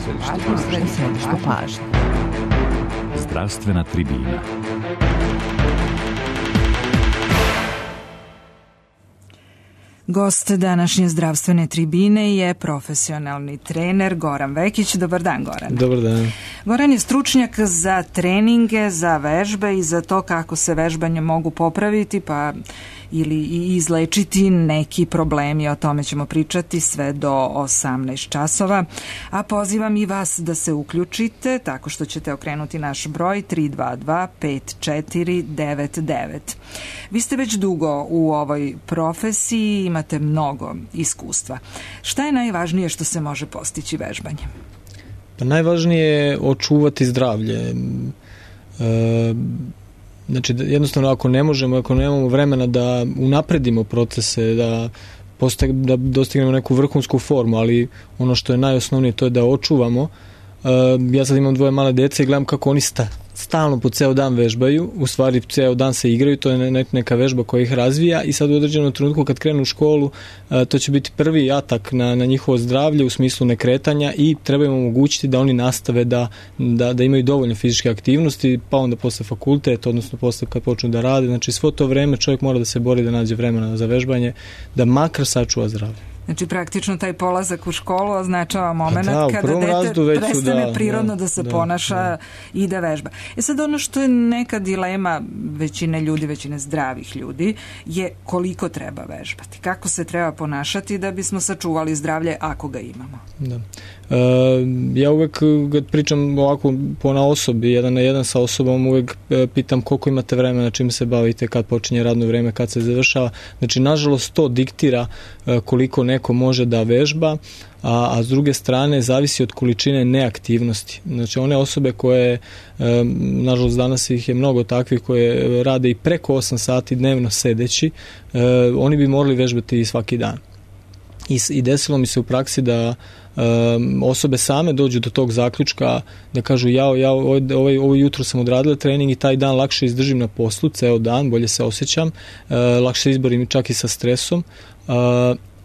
središte pažnje. Zdravstvena tribina. Gost današnje zdravstvene tribine je profesionalni trener Goran Vekić. Dobar dan, Goran. Dobar dan. Goran je stručnjak za treninge, za vežbe i za to kako se vežbanje mogu popraviti ili izlečiti neki problemi. O tome ćemo pričati sve do 18 časova. A pozivam i vas da se uključite tako što ćete okrenuti naš broj 322 5499. Vi ste već dugo u ovoj profesiji, imate mnogo iskustva. Šta je najvažnije što se može postići vežbanjem? Pa najvažnije je očuvati zdravlje. Znači, jednostavno ako nemamo vremena da unapredimo procese, da dostignemo neku vrhunsku formu, ali ono što je najosnovnije to je da očuvamo. Ja sad imam 2 male dece i gledam kako oni stalno po ceo dan vežbaju, u stvari ceo dan se igraju, to je neka vežba koja ih razvija i sad u određenom trenutku kad krenu u školu to će biti prvi atak na njihovo zdravlje u smislu nekretanja i treba im omogućiti da oni nastave da imaju dovoljno fizičke aktivnosti, pa onda posle fakultet, odnosno posle kad počnu da rade, znači svo to vreme čovjek mora da se bori da nađe vremena za vežbanje, da makar sačuva zdravlje. Znači, praktično taj polazak u školu označava moment kada dete prestane prirodno da se ponaša i da vežba. Sad ono što je neka dilema većine zdravih ljudi je koliko treba vežbati, kako se treba ponašati da bismo sačuvali zdravlje ako ga imamo. Da. Ja uvek kad pričam ovako na osobi, jedan na jedan sa osobom, uvek pitam koliko imate vremena, čim se bavite, kad počinje radno vreme, kad se završava. Znači, nažalost, to diktira koliko neko može da vežba, a s druge strane zavisi od količine neaktivnosti. Znači, one osobe koje, nažalost danas ih je mnogo takvih koje rade i preko 8 sati dnevno sedeći, oni bi morali vežbati svaki dan. I desilo mi se u praksi da osobe same dođu do tog zaključka da kažu ovo jutro sam odradila trening i taj dan lakše izdržim na poslu, ceo dan, bolje se osjećam, lakše izborim čak i sa stresom,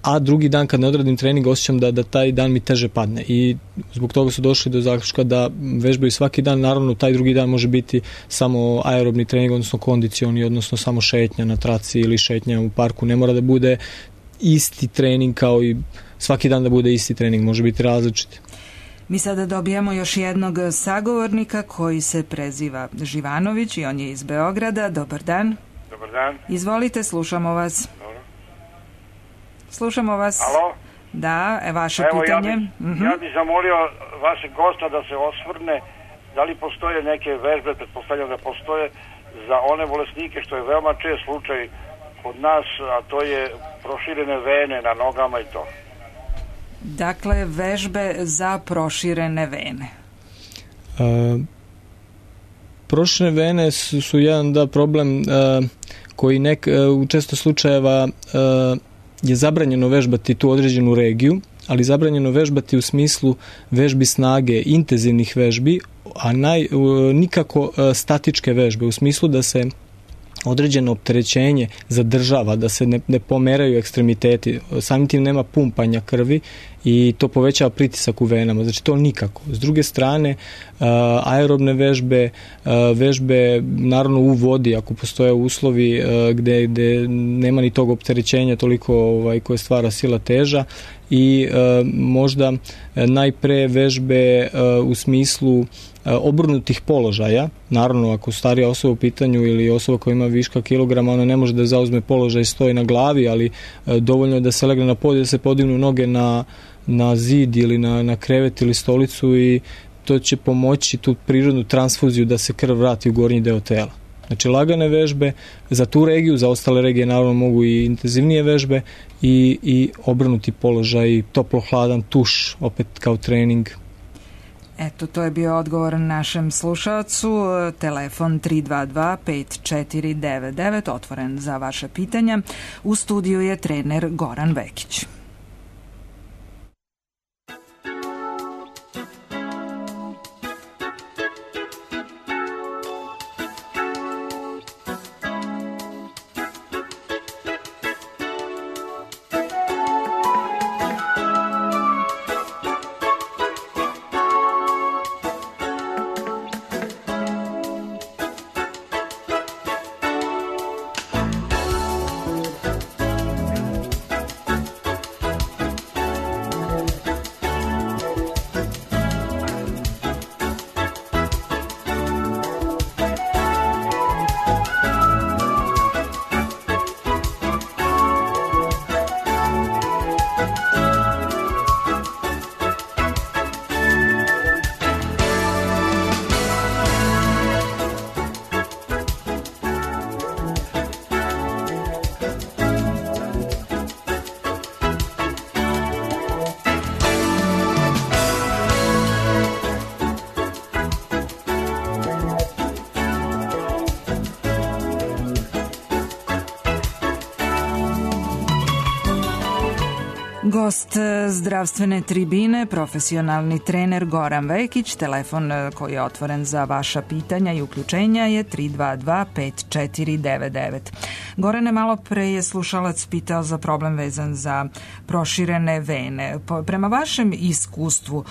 a drugi dan kad ne odradim trening osjećam da taj dan mi teže padne i zbog toga su došli do zaključka da vežbaju svaki dan. Naravno, taj drugi dan može biti samo aerobni trening, odnosno kondicioni, odnosno samo šetnja na traci ili šetnja u parku. Ne mora da bude isti trening kao i svaki dan da bude isti trening, može biti različit. Mi sada dobijamo još jednog sagovornika koji se preziva Živanović i on je iz Beograda. Dobar dan. Dobar dan. Izvolite, slušamo vas. Dobro. Slušamo vas. Alo? Da, vaše pitanje. Ja bih zamolio vašeg gosta da se osvrne da li postoje neke vežbe, pretpostavljam da postoje, za one bolesnike što je veoma čest slučaj kod nas, a to je proširene vene na nogama i to. Dakle, vežbe za proširene vene. Proširene vene su jedan problem koji u često slučajeva je zabranjeno vežbati tu određenu regiju, ali zabranjeno vežbati u smislu vežbi snage, intenzivnih vežbi, a nikako statičke vežbe, u smislu da se određeno opterećenje zadržava, da se ne pomeraju ekstremiteti, samim tim nema pumpanja krvi i to povećava pritisak u venama, znači to nikako. S druge strane, aerobne vežbe naravno u vodi, ako postoje uslovi gde nema ni tog opterećenja toliko koje stvara sila teža i možda najpre vežbe u smislu obrnutih položaja. Naravno, ako starija osoba u pitanju ili osoba koja ima viška kilograma, ona ne može da zauzme položaj i stoji na glavi, ali dovoljno je da se legne na pod i da se podignu noge na zid ili na krevet ili stolicu i to će pomoći tu prirodnu transfuziju da se krv vrati u gornji deo tela. Znači, lagane vežbe za tu regiju, za ostale regije naravno mogu i intenzivnije vežbe i obrnuti položaj, toplo-hladan tuš, opet kao trening. Eto, to je bio odgovor našem slušalcu. Telefon 322 5499, otvoren za vaše pitanja. U studiju je trener Goran Vekić. Gost zdravstvene tribine, profesionalni trener Goran Vekić. Telefon koji je otvoren za vaša pitanja i uključenja je 322-5499. Gorane, malo pre je slušalac pitao za problem vezan za proširene vene. Prema vašem iskustvu,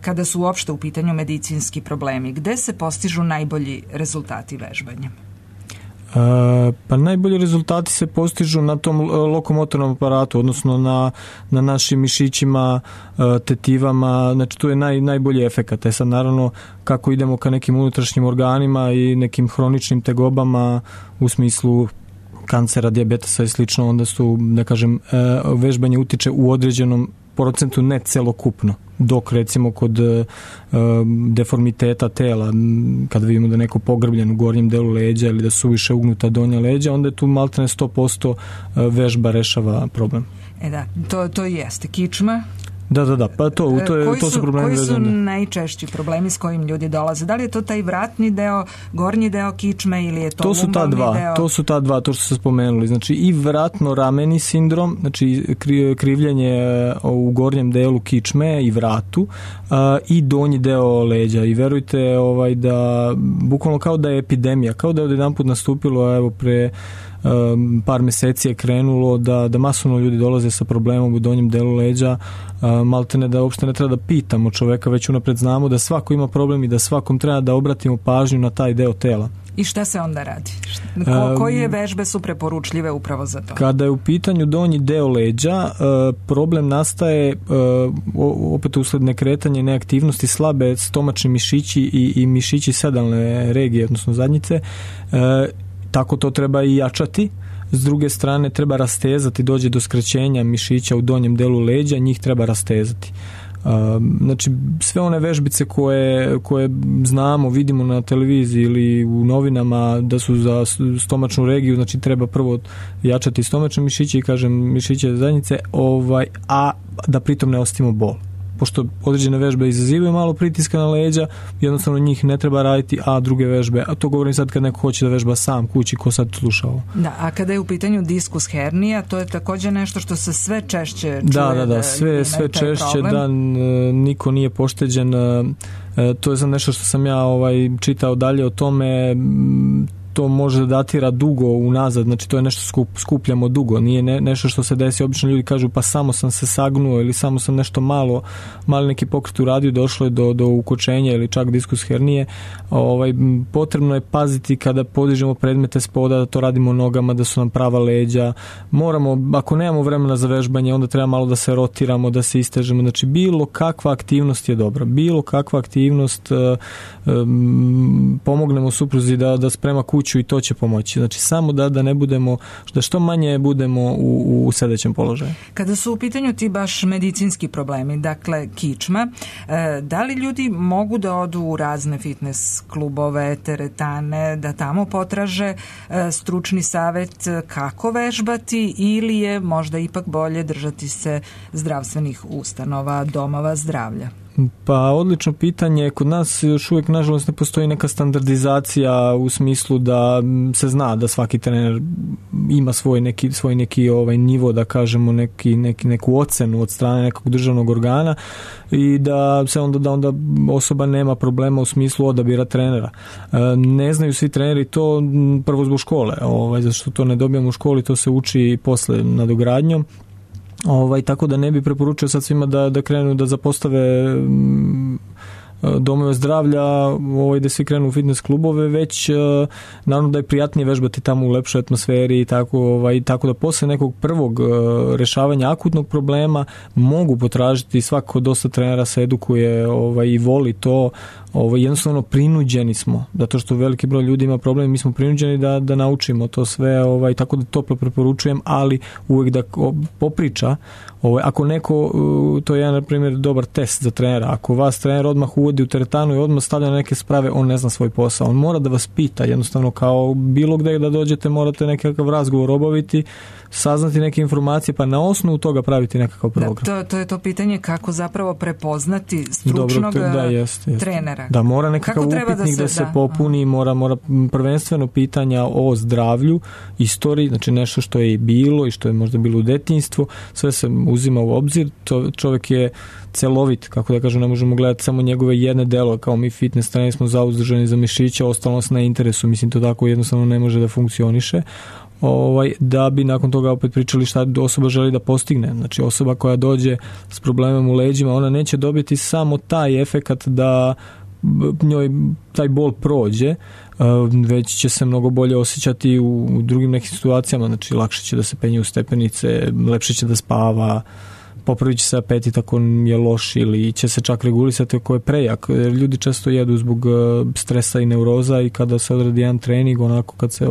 kada su uopšte u pitanju medicinski problemi, gde se postižu najbolji rezultati vežbanja? Pa najbolji rezultati se postižu na tom lokomotornom aparatu, odnosno na našim mišićima, tetivama, znači tu je najbolji efekat. Sad naravno kako idemo ka nekim unutrašnjim organima i nekim hroničnim tegobama u smislu kancera, dijabetesa i slično, onda su, da kažem, vežbanje utiče u određenom procentu, ne celokupno, dok recimo kod deformiteta tela, kada vidimo da je neko pogrbljen u gornjem delu leđa ili da su više ugnuta donja leđa, onda je tu maltene 100% vežba rešava problem. Da, to i jeste kičma. Da, pa to su problemi koji vezane. Koji su najčešći problemi s kojim ljudi dolaze? Da li je to taj vratni deo, gornji deo kičme ili je to lumbalni deo? To su ta dva, to što ste spomenuli. Znači i vratno-rameni sindrom, znači krivljenje u gornjem delu kičme i vratu, i donji deo leđa. I verujte da bukvalno kao da je epidemija, kao da je odjedanput nastupilo, evo pre par meseci je krenulo da masovno ljudi dolaze sa problemom u donjem delu leđa, maltene da uopšte ne treba da pitamo čoveka, već unapred znamo da svako ima problem i da svakom treba da obratimo pažnju na taj deo tela. I šta se onda radi? Koje vežbe su preporučljive upravo za to? Kada je u pitanju donji deo leđa, problem nastaje opet usled nekretanja i neaktivnosti, slabe stomačni mišići i mišići sedalne regije, odnosno zadnjice. Tako to treba i jačati. S druge strane treba rastezati, dođe do skraćenja mišića u donjem delu leđa, njih treba rastezati. Znači sve one vežbice koje znamo, vidimo na televiziji ili u novinama da su za stomačnu regiju, znači treba prvo jačati stomačne mišiće i kažem mišiće zadnjice, a da pritom ne ostavimo bol. Pošto određene vežbe izazivaju malo pritiska na leđa, jednostavno njih ne treba raditi, a druge vežbe, a to govorim sad kad neko hoće da vežba sam kući, ko sad sluša ovo. Da, a kada je u pitanju diskus hernija, to je također nešto što se sve češće čuje. Da, sve češće, da niko nije pošteđen. To je sad nešto što sam ja čitao dalje o tome. To može da datira dugo unazad, znači to je nešto skupljamo dugo, nije nešto što se desi, obično ljudi kažu pa samo sam se sagnuo ili samo sam nešto mali neki pokret uradio, došlo je do ukočenja ili čak diskus hernije. Potrebno je paziti kada podižemo predmete spoda, da to radimo nogama, da su nam prava leđa. Moramo, ako nemamo vremena za vežbanje, onda treba malo da se rotiramo, da se istežemo, znači bilo kakva aktivnost je dobra, bilo kakva aktivnost, pomognemo supruzi da sprema kuću i to će pomoći. Znači samo da ne budemo, da što manje budemo u sedećem položaju. Kada su u pitanju ti baš medicinski problemi, dakle kičma, da li ljudi mogu da odu u razne fitness klubove, teretane, da tamo potraže stručni savet kako vežbati, ili je možda ipak bolje držati se zdravstvenih ustanova, domova zdravlja? Pa odlično pitanje. Kod nas još uvijek nažalost ne postoji neka standardizacija u smislu da se zna da svaki trener ima svoj neki nivo, da kažemo neku ocenu od strane nekog državnog organa i da se onda osoba nema problema u smislu odabira trenera. Ne znaju svi treneri to prvo zbog škole, zato što to ne dobijamo u školi, to se uči posle nadogradnjom. Tako da ne bi preporučio sad svima da krenu da zapostave domove zdravlja, da svi krenu u fitness klubove, već naravno da je prijatnije vežbati tamo u lepšoj atmosferi i tako da posle nekog prvog rešavanja akutnog problema mogu potražiti, svako dosta trenera se edukuje i voli to. Jednostavno prinuđeni smo, zato što veliki broj ljudi ima problem, mi smo prinuđeni da naučimo to sve, tako da toplo preporučujem, ali uvijek da popriča. Ako neko, to je jedan, na primjer, dobar test za trenera, ako vas trener odmah uvodi u teretanu i odmah stavlja na neke sprave, on ne zna svoj posao, on mora da vas pita, jednostavno kao bilo gde da dođete morate nekakav razgovor obaviti, saznati neke informacije, pa na osnovu toga praviti nekakav program. To je to pitanje kako zapravo prepoznati stručnog trenera. Da, mora nekakav upitnik da se popuni, mora prvenstveno pitanja o zdravlju, istoriji, znači nešto što je i bilo i što je možda bilo u detinjstvu, sve se uzima u obzir, čovjek je celovit, kako da kažem, ne možemo gledati samo njegove jedne delo, kao mi fitness treneri smo zauzdržani za mišića, ostalo nas na interesu, mislim to tako jednostavno ne može da funkcioniše. Da bi nakon toga opet pričali šta osoba želi da postigne. Znači osoba koja dođe s problemom u leđima, ona neće dobiti samo taj efekat da njoj taj bol prođe, već će se mnogo bolje osjećati u drugim nekim situacijama, znači lakše će da se penje u stepenice, lepše će da spava, popravit će se apetit ako je loš ili će se čak regulisati ako je prejak. Ljudi često jedu zbog stresa i neuroza i kada se odradi jedan trening, onako kad se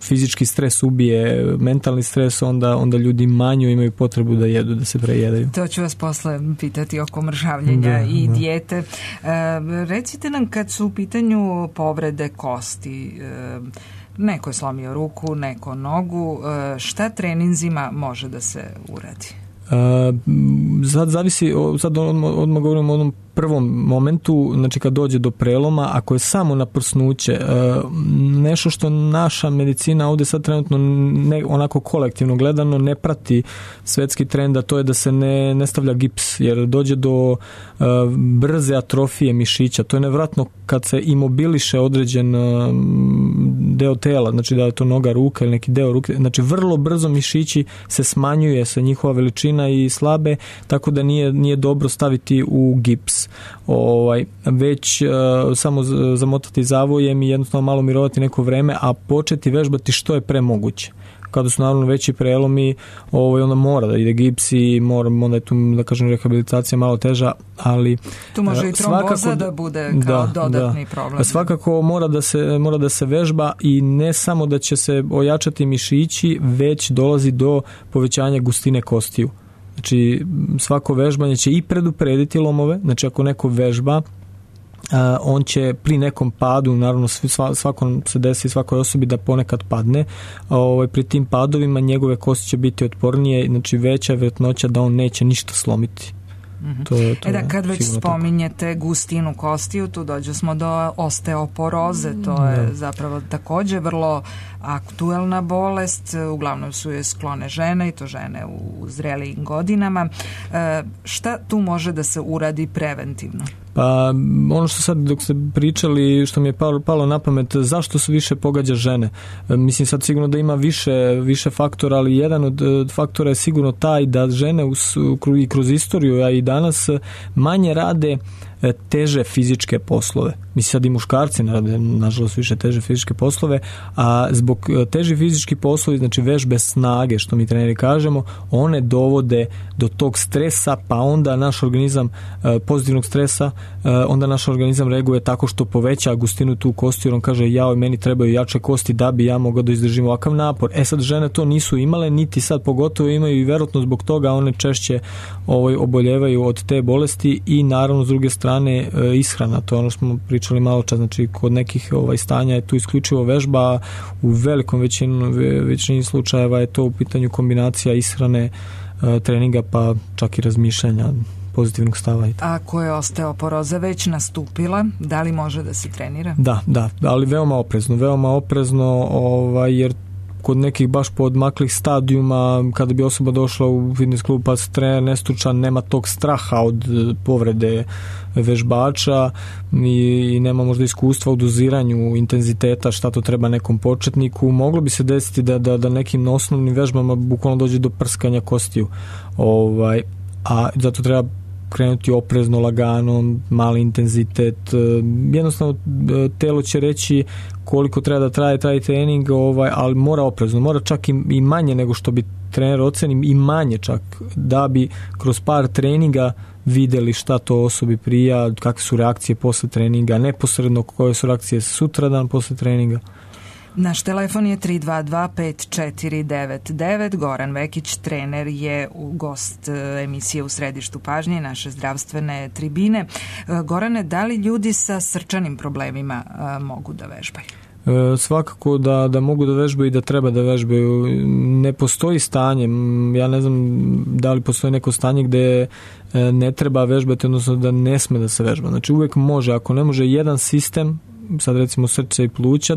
fizički stres ubije, mentalni stres, onda ljudi manje imaju potrebu da jedu, da se prejedaju. To ću vas posle pitati oko mršavljenja i dijete. Recite nam kad su u pitanju povrede kosti, neko je slomio ruku, neko nogu, šta treninzima može da se uradi? Sad zavisi, sad odmah govorimo o onom prvom momentu, znači kad dođe do preloma, ako je samo na prsnuće, nešto što naša medicina ovdje sad trenutno onako kolektivno gledano ne prati svetski trend, a to je da se ne stavlja gips, jer dođe do brze atrofije mišića. To je nevratno kad se imobiliše određen deo tela, znači da je to noga, ruka ili neki deo ruke, znači vrlo brzo mišići se smanjuje se njihova veličina i slabe, tako da nije dobro staviti u gips. Već samo zamotati zavojem i jednostavno malo mirovati neko vreme, a početi vežbati što je premoguće. Kada su naravno veći prelomi, onda mora da ide gips i onda je tu, da kažem, rehabilitacija malo teža, ali tu može i tromboza da bude kao dodatni problem. Svakako mora da se vežba i ne samo da će se ojačati mišići, već dolazi do povećanja gustine kostiju. Znači svako vežbanje će i preduprediti lomove, znači ako neko vežba, on će pri nekom padu, naravno svakom se desi svakoj osobi da ponekad padne, pri tim padovima njegove kosti će biti otpornije, znači veća je vjerojatnoća da on neće ništa slomiti. Kad već spominjete gustinu kostiju, tu dođemo do osteoporoze, to je zapravo također vrlo aktuelna bolest, uglavnom su je sklone žene i to žene u zrelijim godinama. Šta tu može da se uradi preventivno? Pa ono što sad dok ste pričali, što mi je palo na pamet, zašto se više pogađa žene? Mislim sad sigurno da ima više faktora, ali jedan od faktora je sigurno taj da žene i kroz istoriju, a i danas manje rade teže fizičke poslove. Mislim sad i muškarci ne rade nažalost više teže fizičke poslove, a zbog teži fizički poslovi, znači vežbe snage, što mi treneri kažemo, one dovode do tog stresa, pa onda naš organizam pozitivnog stresa, onda naš organizam reaguje tako što poveća gustinu tu kosti, jer on kaže meni trebaju jače kosti da bi ja mogao da izdržim ovakav napor. Sad žene to nisu imale, niti sad pogotovo imaju i vjerojatno zbog toga one češće oboljevaju od te bolesti i naravno s druge strane ishrana, to je ono što smo pričali malo čas, znači kod nekih stanja je tu isključivo vežba, u velikom većini slučajeva je to u pitanju kombinacija ishrane, treninga pa čak i razmišljanja, pozitivnog stava. Ako je osteoporoza već nastupila, da li može da se trenira? Da, ali veoma oprezno, jer kod nekih baš podmaklih stadijuma, kada bi osoba došla u fitness klub pa se trener nestručan, nema tog straha od povrede vežbača i nema možda iskustva u doziranju intenziteta, šta to treba nekom početniku, moglo bi se desiti da nekim osnovnim vežbama bukvalno dođe do prskanja kostiju. A zato treba krenuti oprezno, lagano, mali intenzitet. Jednostavno telo će reći koliko treba da traje taj trening, ali mora oprezno, mora čak i manje nego što bi trener oceni, i manje čak, da bi kroz par treninga videli šta to osobi prija, kakve su reakcije posle treninga, neposredno koje su reakcije sutradan posle treninga. Naš telefon je 322-5499. Goran Vekić, trener, je gost emisije U središtu pažnje, naše zdravstvene tribine. Gorane, da li ljudi sa srčanim problemima mogu da vežbaju? Svakako da mogu da vežbaju i da treba da vežbaju. Ne postoji stanje, ja ne znam da li postoji neko stanje gde ne treba vežbati, odnosno da ne sme da se vežba. Znači uvek može, ako ne može jedan sistem, sad recimo srce i pluća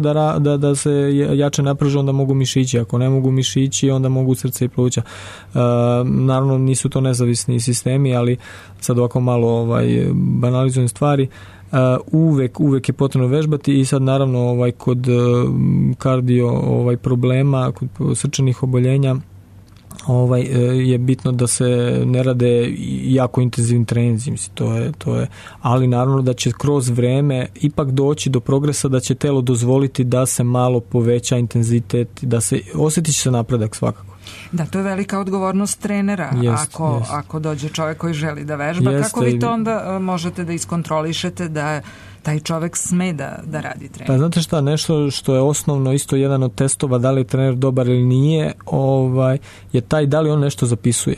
da se jače napraže, onda mogu mišići, ako ne mogu mišići onda mogu srce i pluća. Naravno nisu to nezavisni sistemi, ali sad ovako malo banalizujem stvari. Uvek je potrebno vežbati i sad naravno kod kardio problema, kod srčanih oboljenja je bitno da se ne rade jako intenzivni treninzi, to je, ali naravno da će kroz vreme ipak doći do progresa, da će telo dozvoliti da se malo poveća intenzitet, da se osjetit će se napredak svakako. Da, to je velika odgovornost trenera. Ako dođe čovjek koji želi da vežba, kako vi to onda možete da iskontrolišete da taj čovjek sme da radi trening? Pa znate šta, nešto što je osnovno, isto jedan od testova da li je trener dobar ili nije, je taj da li on nešto zapisuje.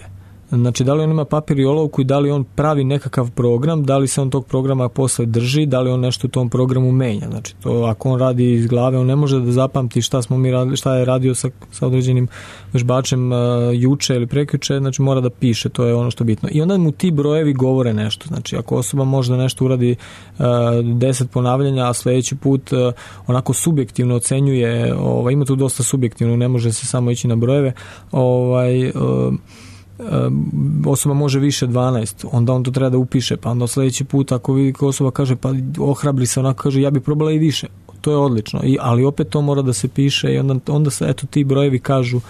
Znači, da li on ima papir i olovku i da li on pravi nekakav program, da li se on tog programa posle drži, da li on nešto u tom programu menja. Znači, to ako on radi iz glave, on ne može da zapamti šta je radio sa određenim vežbačem juče ili prekjuče, znači mora da piše, to je ono što je bitno. I onda mu ti brojevi govore nešto. Znači, ako osoba može da nešto uradi 10 ponavljanja, a sledeći put onako subjektivno ocenjuje, ima tu dosta subjektivno, ne može se samo ići na brojeve, osoba može više 12, onda on to treba da upiše, pa onda sljedeći put ako vidi ko osoba kaže pa ohrabri se, onako kaže ja bi probala i više, to je odlično, ali opet to mora da se piše i onda se eto ti brojevi kažu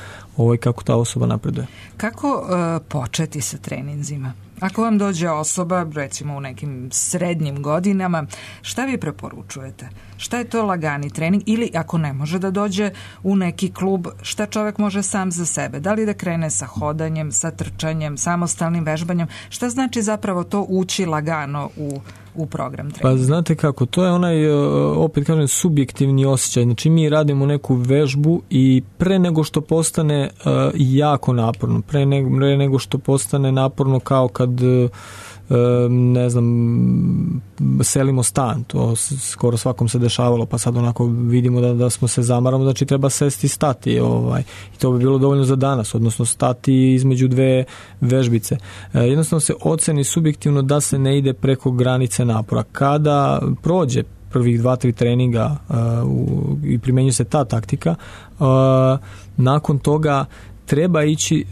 kako ta osoba napreduje. Kako početi sa treninzima? Ako vam dođe osoba, recimo u nekim srednjim godinama, šta vi preporučujete? Šta je to lagani trening? Ili ako ne može da dođe u neki klub, šta čovjek može sam za sebe? Da li da krene sa hodanjem, sa trčanjem, samostalnim vežbanjem? Šta znači zapravo to ući lagano u program treninga? Pa znate kako, to je onaj, opet kažem, subjektivni osjećaj. Znači mi radimo neku vežbu i pre nego što postane jako naporno, pre nego što postane naporno kao kad ne znam, selimo stan, to skoro svakom se dešavalo, pa sad onako vidimo da smo se zamaramo, znači treba sesti i stati i to bi bilo dovoljno za danas, odnosno stati između dve vežbice. Jednostavno se oceni subjektivno da se ne ide preko granice napora. Kada prođe prvih 2-3 treninga i primenjuje se ta taktika, nakon toga treba ići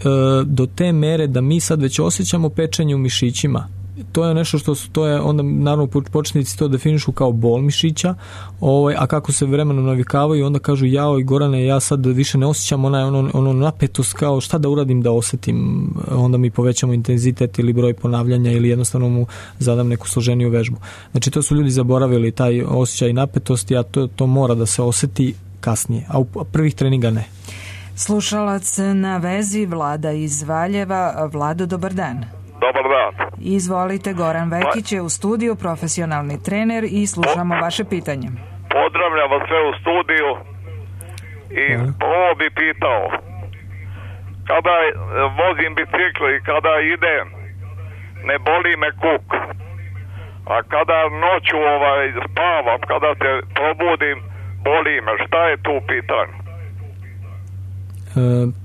do te mere da mi sad već osjećamo pečenje u mišićima. To je nešto to je onda naravno početnici to definišu kao bol mišića, a kako se vremenom navikavaju onda kažu jao Gorane, ja sad više ne osjećam ono napetost, kao šta da uradim da osjetim, onda mi povećamo intenzitet ili broj ponavljanja ili jednostavno mu zadam neku složeniju vežbu. Znači to su ljudi zaboravili taj osjećaj napetosti, a to mora da se osjeti kasnije, a u prvih treninga ne. Slušalac na vezi, Vlada iz Valjeva. Vlado, dobar dan. Dobar dan. Izvolite, Goran Vekić je u studiju, profesionalni trener i slušamo vaše pitanje. Pozdravljam vas sve u studiju i ovo bi pitao. Kada vozim bicikl i kada idem, ne boli me kuk. A kada noću spavam, kada se probudim, boli me. Šta je tu pitanje?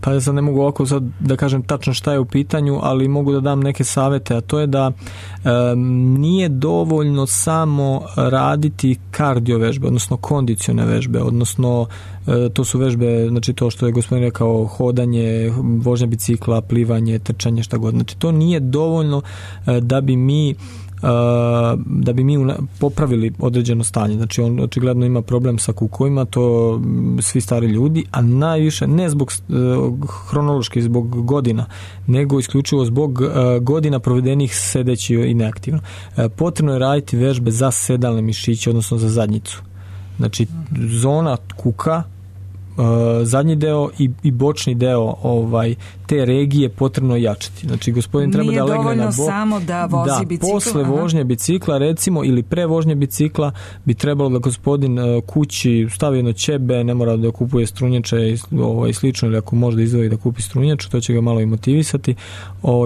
Pa ja sad ne mogu ovako sad da kažem tačno šta je u pitanju, ali mogu da dam neke savete, a to je da nije dovoljno samo raditi kardio vežbe, odnosno kondicione vežbe, odnosno to su vežbe, znači to što je gospodin rekao, hodanje, vožnja bicikla, plivanje, trčanje, šta god. Znači to nije dovoljno da bi mi popravili određeno stanje. Znači on očigledno ima problem sa kukovima, to svi stari ljudi, a najviše ne zbog hronološki, zbog godina, nego isključivo zbog godina provedenih sedeći i neaktivno. Potrebno je raditi vežbe za sedalne mišiće, odnosno za zadnjicu. Znači zona kuka, zadnji deo i bočni deo te regije potrebno jačati. Znači gospodin treba da legne na bok. Samo da vozi bicikl. Posle vožnje bicikla recimo ili pre vožnje bicikla bi trebalo da gospodin kući stavi jedno ćebe, ne mora da kupuje strunjače i slično, ili ako može da izdvoji da kupi strunjaču, to će ga malo i motivisati,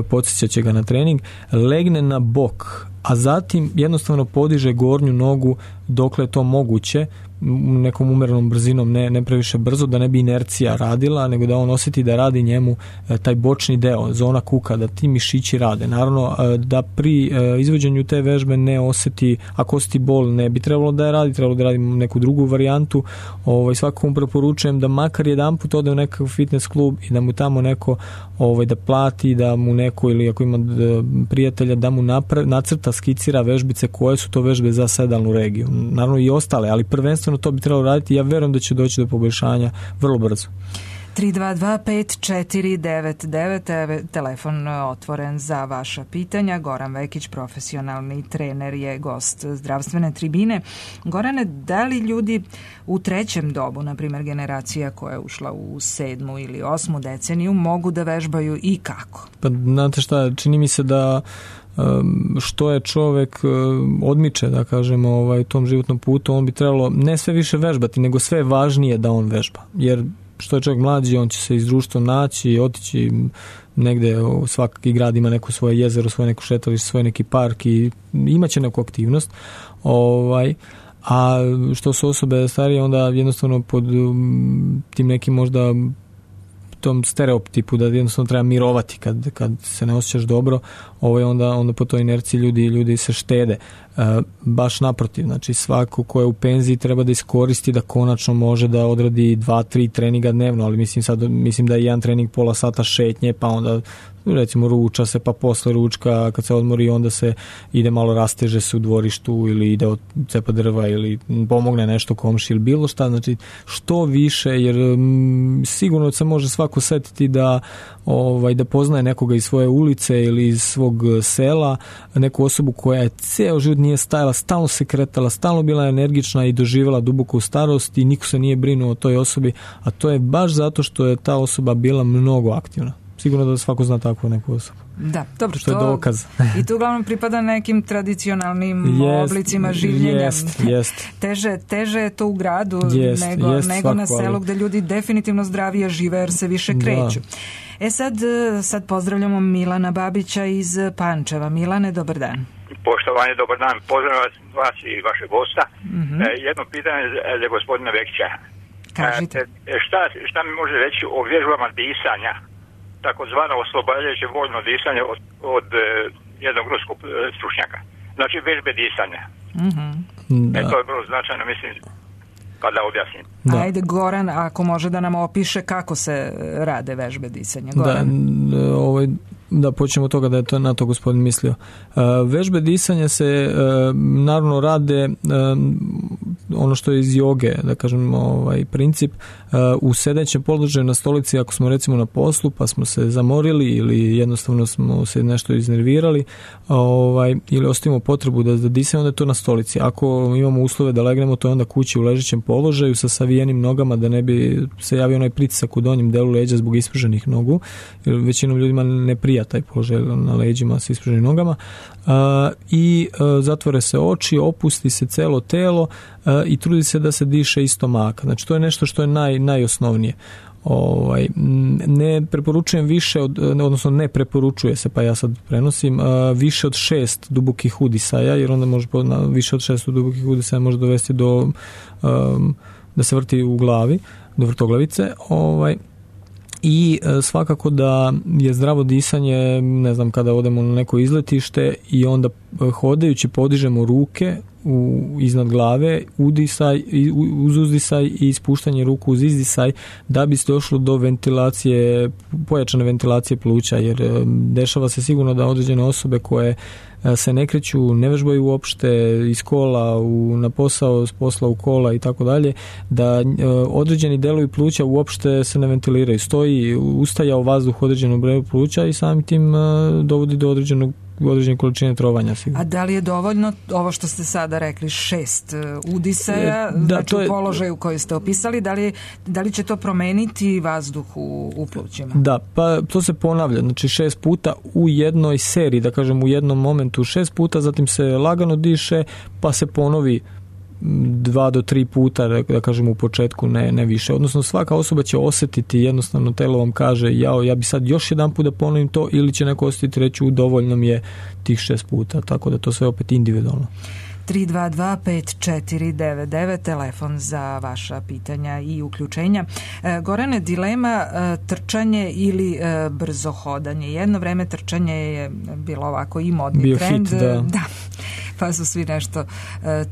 podsjećat će ga na trening, legne na bok, a zatim jednostavno podiže gornju nogu dokle je to moguće, nekom umerenom brzinom, ne previše brzo, da ne bi inercija radila, nego da on osjeti da radi njemu taj bočni deo, zona kuka, da ti mišići rade. Naravno, da pri izvođenju te vežbe ne osjeti, ako osjeti bol, ne bi trebalo da je radi, trebalo da radi neku drugu varijantu. Svakom preporučujem da makar jedanput ode u nekakav fitness klub i da mu tamo neko da plati, da mu neko, ili ako ima prijatelja, da mu nacrta, skicira vežbice koje su to vežbe za sedalnu regiju. Naravno i ostale, ali prvenstveno to bi trebalo raditi. Ja verujem da će doći do poboljšanja vrlo brzo. 322-5499, telefon otvoren za vaša pitanja. Goran Vekić, profesionalni trener, je gost zdravstvene tribine. Gorane, da li ljudi u trećem dobu, na primjer generacija koja je ušla u 7. ili 8. deceniju, mogu da vežbaju i kako? Pa znate šta, čini mi se da što je čovjek odmiče, da kažemo, u tom životnom putu, on bi trebalo ne sve više vežbati, nego sve je važnije da on vežba. Jer što je čovjek mlađi, on će se iz društvom naći, otići negde, svaki grad ima neko svoje jezero, svoje neko šetalište, svoj neki park i imaće neku aktivnost. A što su osobe starije, onda jednostavno pod tim nekim možda tom stereotipu da jednostavno treba mirovati kad se ne osjećaš dobro, onda po toj inerciji ljudi se štede. Baš naprotiv, znači svako ko je u penziji treba da iskoristi da konačno može da odradi 2-3 treninga dnevno, ali mislim da je jedan trening pola sata šetnje, pa onda recimo ruča se, pa posle ručka kad se odmori onda se ide malo, rasteže se u dvorištu ili ide od cepa drva ili pomogne nešto komši ili bilo šta, znači što više, jer sigurno se može svako setiti da poznaje nekoga iz svoje ulice ili iz svog sela, neku osobu koja je ceo život nije stajala, stalno se kretala, stalno bila energična i doživjela duboko u starost i niko se nije brinuo o toj osobi, a to je baš zato što je ta osoba bila mnogo aktivna. Sigurno da svako zna takvu neku osobu. Da, dobro, što je dokaz. I to uglavnom pripada nekim tradicionalnim oblicima življenja. Jest. Teže je to u gradu nego na selu gde ljudi definitivno zdravije žive jer se više kreću. Sad pozdravljamo Milana Babića iz Pančeva. Milane, dobar dan. Poštovanje, dobar dan. Pozdravljam vas i vašeg gosta. Jedno pitanje za gospodina Vekića. Kažite. Šta mi može reći o vježbama disanja, takozvano oslobađajuće voljno disanje od jednog ruskog stručnjaka? Znači vežbe disanja. To je vrlo značajno, mislim, kada objasnim. Ajde, Goran, ako može da nam opiše kako se rade vežbe disanja. Goran. Da počnemo od toga da je to na to gospodin mislio. Vežbe disanja se naravno rade ono što je iz joge, da kažem, princip u sedećem položaju na stolici, ako smo recimo na poslu pa smo se zamorili ili jednostavno smo se nešto iznervirali ili ostavimo potrebu da disamo, onda je to na stolici. Ako imamo uslove da legnemo, to je onda kući u ležećem položaju sa savijenim nogama, da ne bi se javio onaj pritisak u donjem delu leđa zbog ispruženih nogu, jer većinom ljudima ne prija taj položaj na leđima sa ispruženim nogama, i zatvore se oči, opusti se celo telo i trudi se da se diše iz stomaka. Znači to je nešto što je najosnovnije. Ne preporučujem više odnosno ne preporučuje se, pa ja sad prenosim, više od 6 dubokih udisaja, jer onda može više od 6 dubokih udisaja može dovesti do da se vrti u glavi, do vrtoglavice. I svakako da je zdravo disanje, ne znam, kada odemo na neko izletište i onda hodajući podižemo ruke iznad glave, uz uzdisaj i ispuštanje ruku uz izdisaj, da bi se došlo do ventilacije, pojačane ventilacije pluća, jer dešava se sigurno da određene osobe koje se ne kreću, ne vežbaju uopšte iz kola na posao, s posla u kola i tako dalje, da određeni delovi pluća uopšte se ne ventiliraju. Stoji ustaja u vazduh određenog broja pluća i samim tim dovodi do određene količine trovanja. Sigurno. A da li je dovoljno ovo što ste sada rekli, 6 udisaja, znači u položaju koji ste opisali, da li će to promeniti vazduh u plućima? Da, pa to se ponavlja, znači 6 puta u jednoj seriji, da kažem u jednom momentu 6 puta, zatim se lagano diše, pa se ponovi 2 do 3 puta, da kažem u početku, ne više. Odnosno svaka osoba će osjetiti, jednostavno telo vam kaže ja bi sad još jedan put da ponovim to, ili će neko osjetiti reći dovoljno mi je tih 6 puta, tako da to sve opet individualno. 322-5499, telefon za vaša pitanja i uključenja. Gorane, dilema trčanje ili brzo hodanje. Jedno vreme trčanje je bilo ovako i modni trend. Fit, da. Pa su svi nešto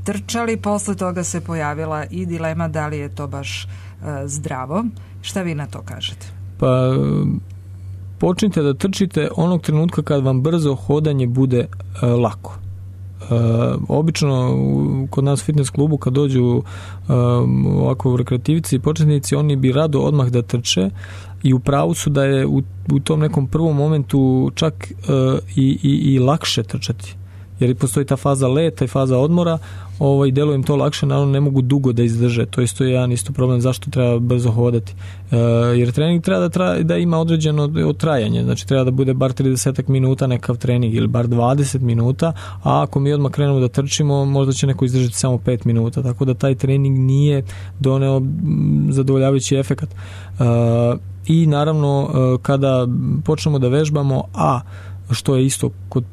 trčali. Posle toga se pojavila i dilema da li je to baš zdravo. Šta vi na to kažete? Pa počnite da trčite onog trenutka kad vam brzo hodanje bude lako. Obično kod nas u fitness klubu kad dođu ovako rekreativici i početnici, oni bi rado odmah da trče i u pravu su da je u tom nekom prvom momentu čak i lakše trčati. Jer postoji ta faza leta i faza odmora, deluje im to lakše, naravno ne mogu dugo da izdrže, to isto je jedan isto problem zašto treba brzo hodati. Jer trening treba da ima određeno trajanje, znači treba da bude bar 30 minuta nekav trening ili bar 20 minuta, a ako mi odmah krenemo da trčimo, možda će neko izdržati samo 5 minuta, tako da taj trening nije doneo zadovoljavajući efekat. I naravno kada počnemo da vežbamo, što je isto kod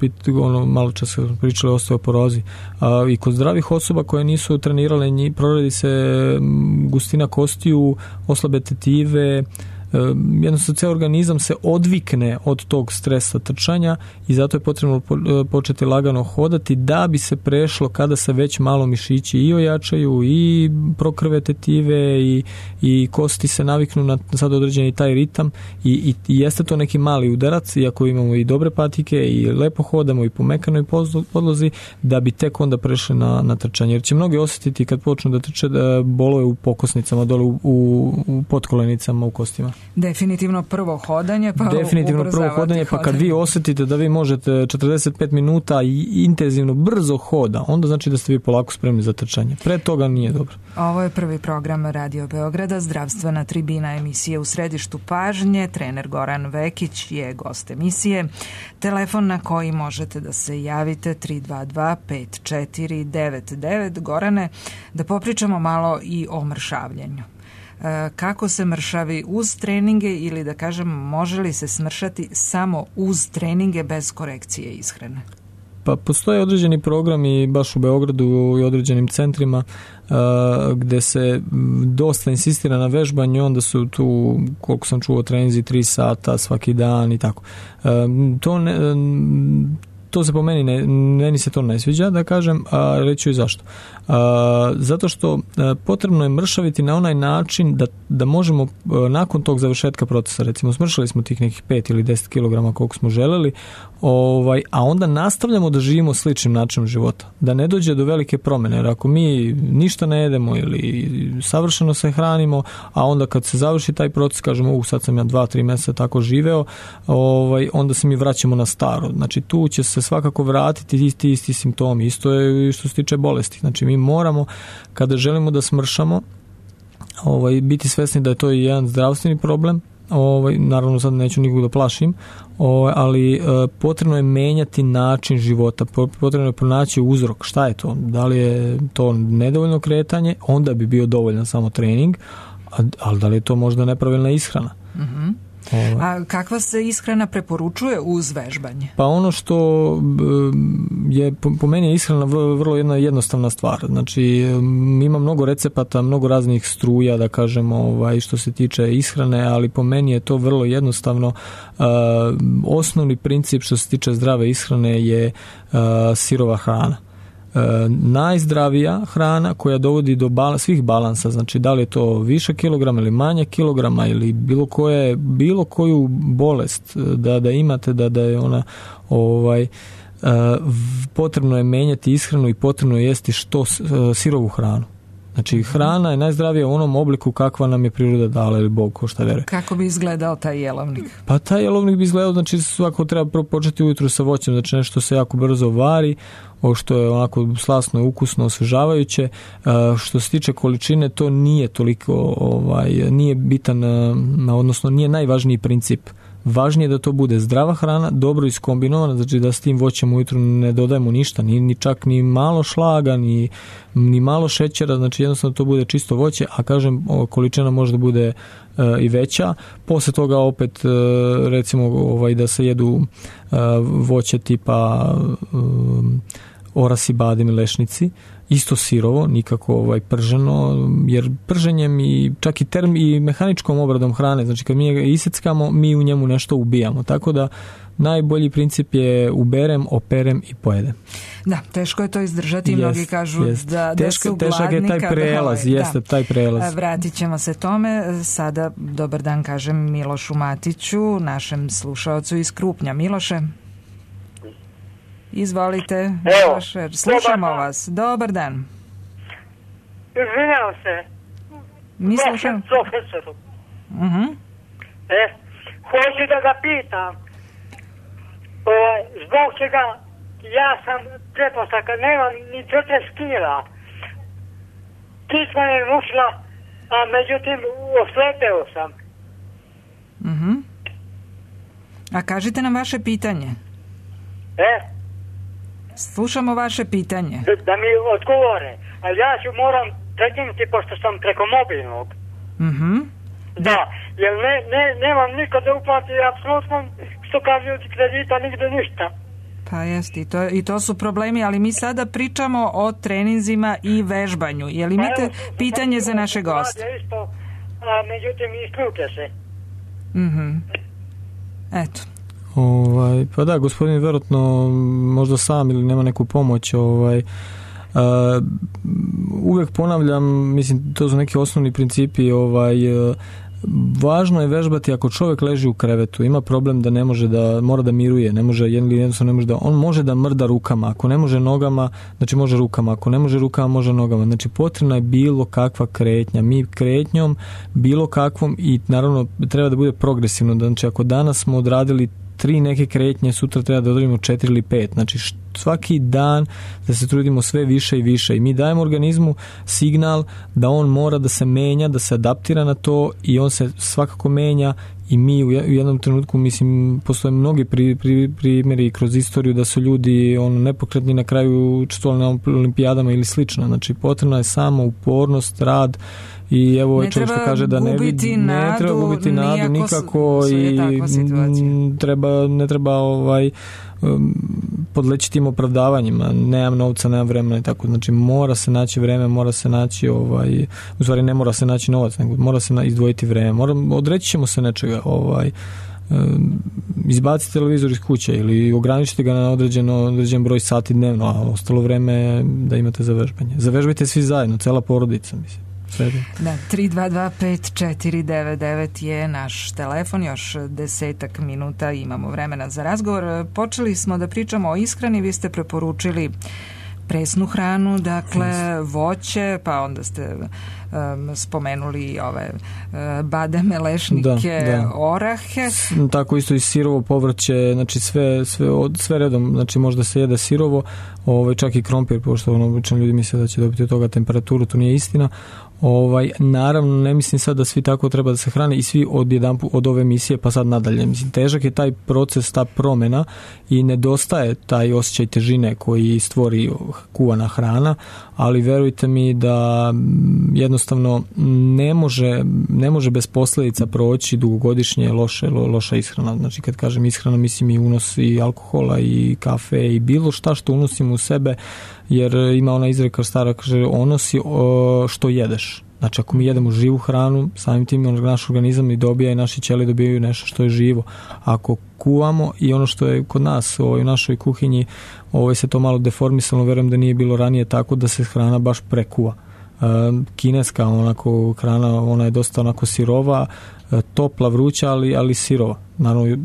malo čas smo pričali o osteoporozi i kod zdravih osoba koje nisu trenirale, proradi se gustina kostiju, oslabe tetive, jednostavno ceo organizam se odvikne od tog stresa trčanja i zato je potrebno početi lagano hodati da bi se prešlo kada se već malo mišići i ojačaju i prokrve tetive i kosti se naviknu na sad određeni taj ritam i jeste to neki mali udarac, iako imamo i dobre patike i lepo hodamo i po mekanoj podlozi, da bi tek onda prešli na trčanje, jer će mnogi osjetiti kad počnu da trče da bolove u pokosnicama, dole u potkolenicama, u kostima. Definitivno prvo hodanje, pa kad vi osjetite da vi možete 45 minuta i intenzivno brzo hoda, onda znači da ste vi polako spremni za trčanje. Pre toga nije dobro. Ovo je prvi program Radio Beograda, zdravstvena tribina, emisije u središtu pažnje. Trener Goran Vekić je gost emisije. Telefon na koji možete da se javite 322-5499. Gorane, da popričamo malo i o mršavljenju. Kako se mršavi uz treninge ili da kažem, može li se smršati samo uz treninge bez korekcije ishrane? Pa postoje određeni programi baš u Beogradu i određenim centrima gde se dosta insistira na vežbanju, onda su tu, koliko sam čuo, treninzi 3 sata svaki dan i tako. To se po meni se to ne sviđa, da kažem, a reći ću i zašto. Zato što potrebno je mršaviti na onaj način da možemo nakon tog završetka procesa, recimo smršali smo tih nekih 5 ili 10 kg koliko smo želeli, a onda nastavljamo da živimo sličnim načinom života, da ne dođe do velike promjene, jer ako mi ništa ne jedemo ili savršeno se hranimo, a onda kad se završi taj proces kažemo sad sam ja 2-3 mjeseca tako živeo, onda se mi vraćamo na staro. Znači tu će se svakako vratiti isti simptomi, isto je što se tiče bolesti. Znači mi moramo, kada želimo da smršamo, biti svesni da je to jedan zdravstveni problem. Naravno sad neću nikog da plašim, ali potrebno je menjati način života, potrebno je pronaći uzrok. Šta je to? Da li je to nedovoljno kretanje? Onda bi bio dovoljan samo trening, ali da li je to možda nepravilna ishrana? Mm-hmm. A kakva se ishrana preporučuje uz vežbanje? Pa ono što je po meni je ishrana vrlo jedna jednostavna stvar. Znači ima mnogo recepata, mnogo raznih struja, da kažemo, što se tiče ishrane, ali po meni je to vrlo jednostavno. Osnovni princip što se tiče zdrave ishrane je sirova hrana. Najzdravija hrana koja dovodi do svih balansa, znači da li je to više kilograma ili manje kilograma ili bilo koju bolest da imate, da je ona potrebno je menjati ishranu i potrebno je jesti što sirovu hranu. Znači hrana je najzdravija u onom obliku kakva nam je priroda dala ili Bog, ko šta veruje. Kako bi izgledao taj jelovnik? Pa taj jelovnik bi izgledao, znači svako treba početi ujutru sa voćem, znači nešto se jako brzo vari, što je onako slasno, ukusno, osvežavajuće. Što se tiče količine, to nije toliko, nije bitan, odnosno nije najvažniji princip. Važnije je da to bude zdrava hrana, dobro iskombinovana, znači da s tim voćem ujutru ne dodajemo ništa, ni čak ni malo šlaga, ni malo šećera, znači jednostavno to bude čisto voće, a kažem, količina može da bude i veća. Posle toga opet recimo da se jedu voće tipa orasi, badem i lešnici, isto sirovo, nikako prženo, jer prženjem i čak i mehaničkom obradom hrane, znači kad mi ga iseckamo, mi u njemu nešto ubijamo, tako da najbolji princip je uberem, operem i pojedem. Da, teško je to izdržati, mnogi kažu da su gladni. Težak je taj prelaz, taj prelaz. Vratit ćemo se tome. Sada dobar dan kažem Milošu Matiću, našem slušaocu iz Krupnja. Miloše, izvolite. Miloše, slušamo vas. Dobar dan. Izvinjam se. Mi slušamo. Profesoru. Hoću da ga pitam. Zbog čega ja sam pretpostavka, nemam ni 40 kila. Kičma je rušila, a međutim oslepeo sam. A kažite nam vaše pitanje. Slušamo vaše pitanje. Da mi odgovore. A ja ću moram prekinuti pošto sam preko mobilnog. Da, jer nemam niko da uplati apsolutno što kažu kredita, nigde ništa. Pa jest, i to su problemi, ali mi sada pričamo o treninzima i vežbanju. Je li imate pitanje za naše goste? Isto, a međutim isključe se. Eto. Pa da, gospodin vjerojatno možda sam ili nema neku pomoć, uvijek ponavljam, mislim, to su neki osnovni principi, važno je vežbati ako čovjek leži u krevetu, ima problem da ne može da, mora da miruje, ne može, jednostavno ne može da, on može da mrda rukama, ako ne može nogama, znači može rukama, ako ne može rukama, može nogama, znači potrebna je bilo kakva kretnja, mi kretnjom, bilo kakvom i naravno treba da bude progresivno, znači ako danas smo odradili 3 neke kretnje, sutra treba da odradimo 4 ili 5, znači svaki dan da se trudimo sve više i više i mi dajemo organizmu signal da on mora da se menja, da se adaptira na to i on se svakako menja i mi u jednom trenutku, mislim, postoje mnogi primjeri kroz istoriju da su ljudi nepokretni na kraju učestvovali na olimpijadama ili slično, znači potrebna je samo upornost, rad i evo čovjek što kaže da ne treba gubiti nadu nikako i ne treba podleći tim opravdavanjima, nemam novca, nemam vremena i tako, znači mora se naći vreme, mora se naći u stvari ne mora se naći novac, nego mora se izdvojiti vreme, odreći ćemo se nečega, izbaciti televizor iz kuće ili ograničiti ga na određen broj sati dnevno, a ostalo vreme da imate za vežbanje. Zavežbajte svi zajedno, cela porodica, mislim. Da, 3225499 je naš telefon, još 10 minuta imamo vremena za razgovor. Počeli smo da pričamo o ishrani, vi ste preporučili presnu hranu, dakle voće, pa onda ste spomenuli ove bademe, lešnike, orahe. Tako isto i sirovo povrće, znači sve redom, znači možda se jede sirovo, čak i krompir, pošto obično ljudi misle da će dobiti od toga temperaturu, to nije istina. Naravno ne mislim sad da svi tako treba da se hrane i svi od ove emisije pa sad nadalje. Mislim, težak je taj proces, ta promjena i nedostaje taj osjećaj težine koji stvori kuvana hrana, ali verujte mi da jednostavno ne može bez posljedica proći dugogodišnje loša ishrana. Znači kad kažem ishrana mislim i unos i alkohola i kafe i bilo šta što unosimo u sebe, jer ima ona izreka stara, kaže onosi što jedeš. Znači ako mi jedemo živu hranu, samim tim naš organizam i dobija i naši ćelije dobijaju nešto što je živo. Ako kuvamo i ono što je kod nas u našoj kuhinji se to malo deformisalo, verujem da nije bilo ranije tako da se hrana baš prekuva. Kineska onako hrana, ona je dosta onako sirova, topla, vruća, ali sirova. Naravno,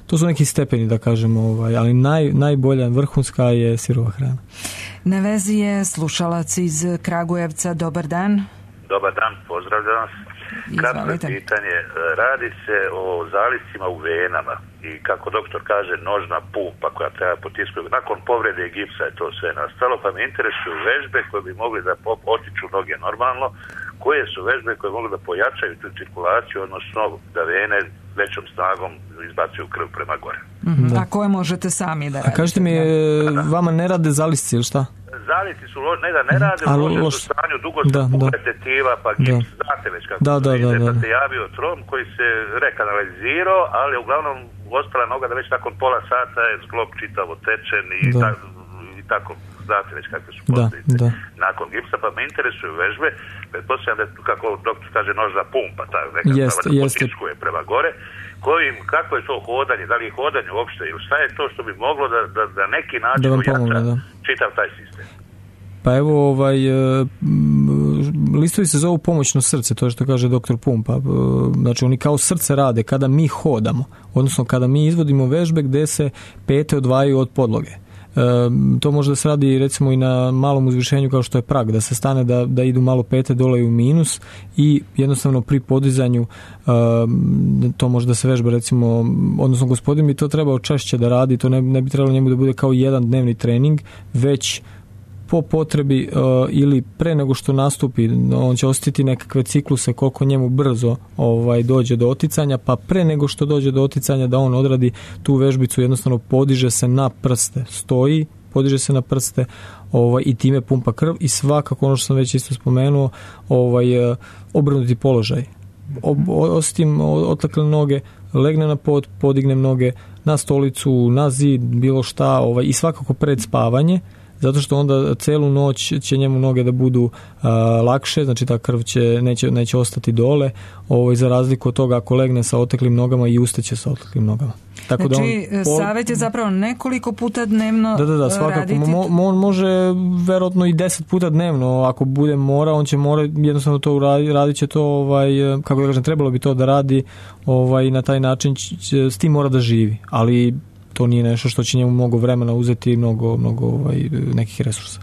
to su neki stepeni da kažemo, ali najbolja, vrhunska je sirova hrana. Na vezi je slušalac iz Kragujevca. Dobar dan. Dobar dan, pozdravljam vas. Kratko pitanje, radi se o zaliscima u venama i kako doktor kaže nožna pumpa koja treba potiskati. Nakon povrede gipsa je to sve nastalo, pa me interesuju vežbe koje bi mogli da otiču noge normalno, koje su vežbe koje mogu da pojačaju tu cirkulaciju, odnosno da vene većom snagom izbacuju krv prema gore. A koje možete sami da radite? A kažete mi, vama ne rade zalisci ili šta? Zalisci su ne rade, u lošem su stanju, dugo se pukle tetiva, pa gips, znate već kako se ide, pa se javio trom koji se rekanalizirao, ali uglavnom ostala noga da već nakon pola sata je zglob čitavo tečen i tako znate već kakve su posljedice nakon gipsa, pa me interesuju vežbe, pretpostavljam da kako doktor kaže nožna pumpa, ta neka da potiskuje prema gore, kako je to hodanje, da li je hodanje uopšte ili šta je to što bi moglo da neki način ujača čitav taj sistem? Pa evo, listovi se zovu pomoćno srce, to je što kaže doktor Pumpa. Znači oni kao srce rade kada mi hodamo, odnosno kada mi izvodimo vežbe gde se pete odvajaju od podloge. To može da se radi recimo i na malom uzvišenju kao što je prag, da se stane da idu malo pete dole u minus i jednostavno pri podizanju to može da se vežba recimo, odnosno gospodin bi to trebao češće da radi, to ne bi trebalo njemu da bude kao jedan dnevni trening, već po potrebi ili pre nego što nastupi, on će osjetiti nekakve cikluse koliko njemu brzo dođe do oticanja, pa pre nego što dođe do oticanja da on odradi tu vežbicu, jednostavno podiže se na prste, stoji, podiže se na prste i time pumpa krv i svakako ono što sam već isto spomenuo, obrnuti položaj. Osjetim otlakle noge, legne na pod, podignem noge na stolicu, na zid, bilo šta, i svakako pred spavanje, zato što onda celu noć će njemu noge da budu lakše, znači ta krv neće ostati dole, za razliku od toga ako legne sa oteklim nogama i ustaće sa oteklim nogama. Tako znači, savjet je zapravo nekoliko puta dnevno svakako. raditi. On može verovatno i 10 puta dnevno, ako bude mora, on će jednostavno to radit će to, kako da kažem, trebalo bi to da radi, na taj način s tim mora da živi, ali to nije nešto što će njemu mnogo vremena uzeti i mnogo nekih resursa.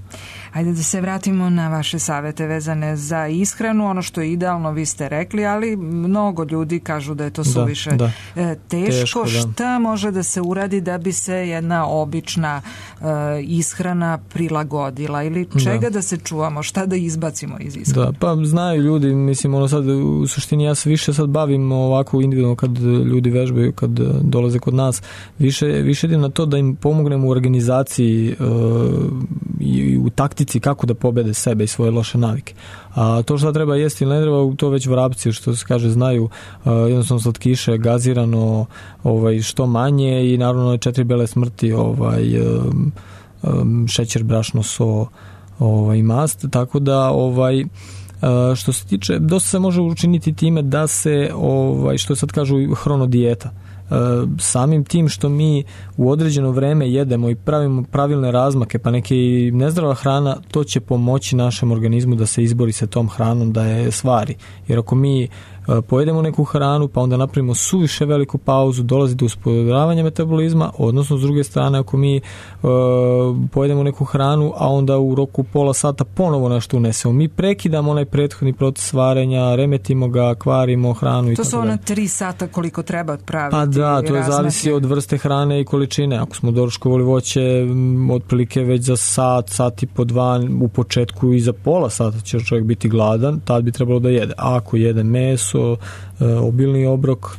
Ajde da se vratimo na vaše savjete vezane za ishranu. Ono što je idealno vi ste rekli, ali mnogo ljudi kažu da je to suviše teško. Šta može da se uradi da bi se jedna obična ishrana prilagodila ili čega da se čuvamo, šta da izbacimo iz ishrane? Da, pa znaju ljudi, mislim, sad u suštini ja se više sad bavim ovako individualno kad ljudi vežbaju, kad dolaze kod nas, više idem na to da im pomognemo u organizaciji i u taktici kako da pobede sebe i svoje loše navike. A to što treba jesti ili ne treba, to već vrapci, što se kaže, znaju, jednostavno slatkiše, gazirano, što manje i naravno 4 bele smrti, šećer, brašno, so, mast, tako da što se tiče, dosta se može učiniti time da se, što sad kažu, hronodijeta. Samim tim što mi u određeno vreme jedemo i pravimo pravilne razmake, pa neke i nezdrava hrana, to će pomoći našem organizmu da se izbori sa tom hranom, da je svari. Jer ako mi pojedemo neku hranu pa onda napravimo suviše veliku pauzu, dolazi do usporavanja metabolizma, odnosno s druge strane ako mi pojedemo neku hranu a onda u roku pola sata ponovo nešto unesemo, mi prekidamo onaj prethodni proces varenja, remetimo ga, kvarimo hranu i to su ona 3 sata koliko treba odpraviti. Pa da, to je zavisi od vrste hrane i količine. Ako smo doručkovali voće, otprilike već za sat i po 2 u početku i za pola sata će čovjek biti gladan, tad bi trebalo da jede. A ako jede meso, obilni obrok,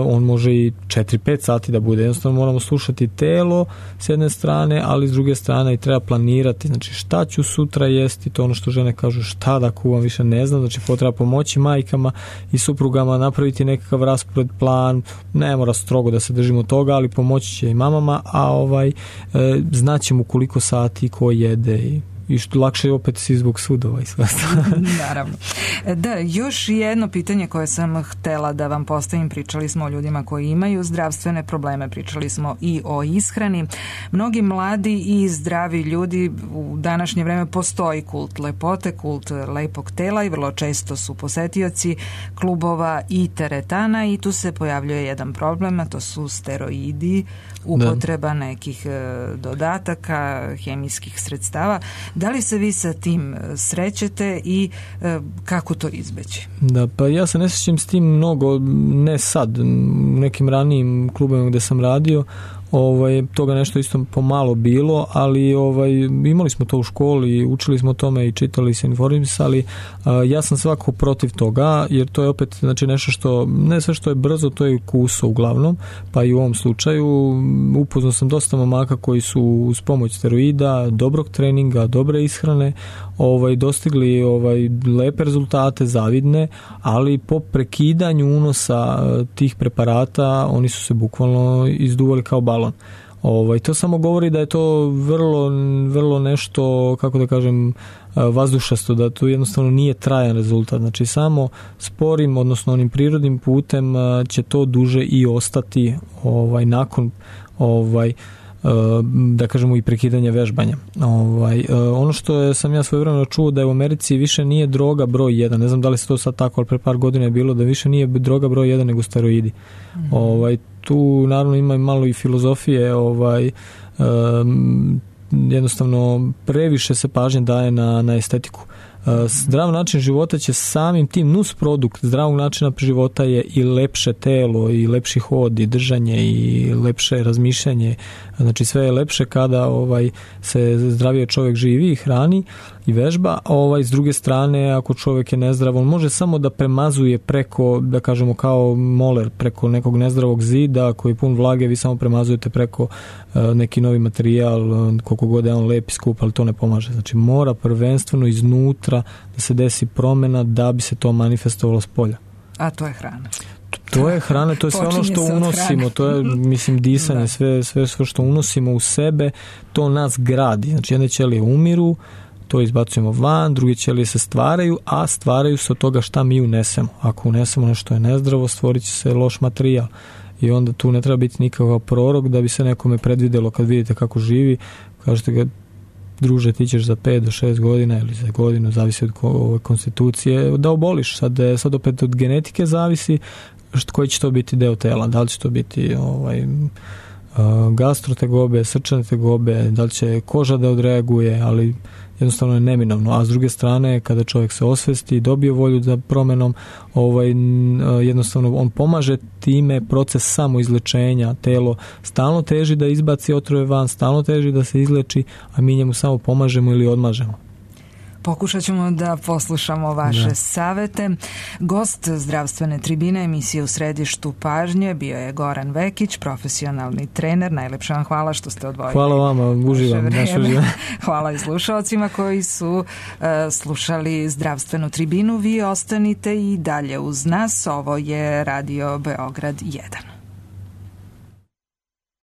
on može i 4-5 sati da bude. Jednostavno moramo slušati telo s jedne strane, ali s druge strane i treba planirati. Znači šta ću sutra jesti, to ono što žene kažu, šta da kuvam, više ne znam. Znači treba pomoći majkama i suprugama, napraviti nekakav raspored, plan, ne mora strogo da se držimo toga, ali pomoći će i mamama, a znaćemo koliko sati ko jede i što lakše je opet si zbog sudova i sve. Naravno. Da, još jedno pitanje koje sam htela da vam postavim, pričali smo o ljudima koji imaju zdravstvene probleme, pričali smo i o ishrani. Mnogi mladi i zdravi ljudi u današnje vreme postoji kult lepote, kult lepog tela i vrlo često su posetioci klubova i teretana i tu se pojavljuje jedan problem, a to su steroidi, upotreba nekih dodataka, hemijskih sredstava. Da li se vi sa tim srećete i kako to izbeći? Da, pa ja se ne srećem s tim mnogo, ne sad, u nekim ranijim klubovima gde sam radio, toga nešto isto pomalo bilo, ali imali smo to u školi, učili smo o tome i čitali se, informisali. Ja sam svakako protiv toga, jer to je opet nešto što, ne sve što je brzo, to je ukuso uglavnom, pa i u ovom slučaju upoznao sam dosta momaka koji su uz pomoć steroida, dobrog treninga, dobre ishrane, dostigli lepe rezultate, zavidne, ali po prekidanju unosa tih preparata oni su se bukvalno izduvali kao balon. To samo govori da je to vrlo nešto, kako da kažem, vazdušasto, da to jednostavno nije trajan rezultat. Znači samo sporim, odnosno onim prirodnim putem će to duže i ostati nakon da kažemo i prekidanja vežbanja. Ono što sam ja svojevremeno čuo da je u Americi više nije droga broj 1, ne znam da li se to sad tako, ali pre par godina je bilo da više nije droga broj 1 nego steroidi. Tu naravno ima malo i filozofije, jednostavno previše se pažnje daje na estetiku. Zdrav način života će samim tim nusprodukt zdravog načina života je i lepše telo i lepši hod i držanje i lepše razmišljanje. Znači sve je lepše kada se zdravije čovjek živi i hrani i vežba. S druge strane, ako čovjek je nezdrav, on može samo da premazuje preko, da kažemo kao moler, preko nekog nezdravog zida koji je pun vlage, vi samo premazujete preko neki novi materijal, koliko god je on lep i skup, ali to ne pomaže. Znači mora prvenstveno iznutra da se desi promjena da bi se to manifestovalo s polja. A to je hrana. To je hrana, to je sve ono što unosimo, to je, mislim, disanje, sve što unosimo u sebe, to nas gradi. Znači jedne ćelije umiru, to izbacujemo van, druge ćelije se stvaraju, a stvaraju se od toga šta mi unesemo. Ako unesemo nešto je nezdravo, stvorit će se loš materijal. I onda tu ne treba biti nikakav prorok da bi se nekome predvidjelo kad vidite kako živi, kažete ga, druže, ti ćeš za 5 do 6 godina ili za godinu, zavisi od konstitucije, da oboliš. Sad opet od genetike zavisi koji će to biti deo tela, da li će to biti gastrotegobe, srčane tegobe, da li će koža da odreaguje, ali jednostavno je neminovno. A s druge strane, kada čovjek se osvesti i dobije volju za promjenom, jednostavno on pomaže time proces samoizlečenja. Telo stalno teži da izbaci otrove van, stalno teži da se izleči, a mi njemu samo pomažemo ili odmažemo. Pokušat ćemo da poslušamo vaše savete. Gost zdravstvene tribine emisije U središtu pažnje bio je Goran Vekić, profesionalni trener. Najlepše vam hvala što ste odvojili. Hvala vama, uživam. Hvala i slušalcima koji su slušali zdravstvenu tribinu. Vi ostanite i dalje uz nas. Ovo je Radio Beograd 1.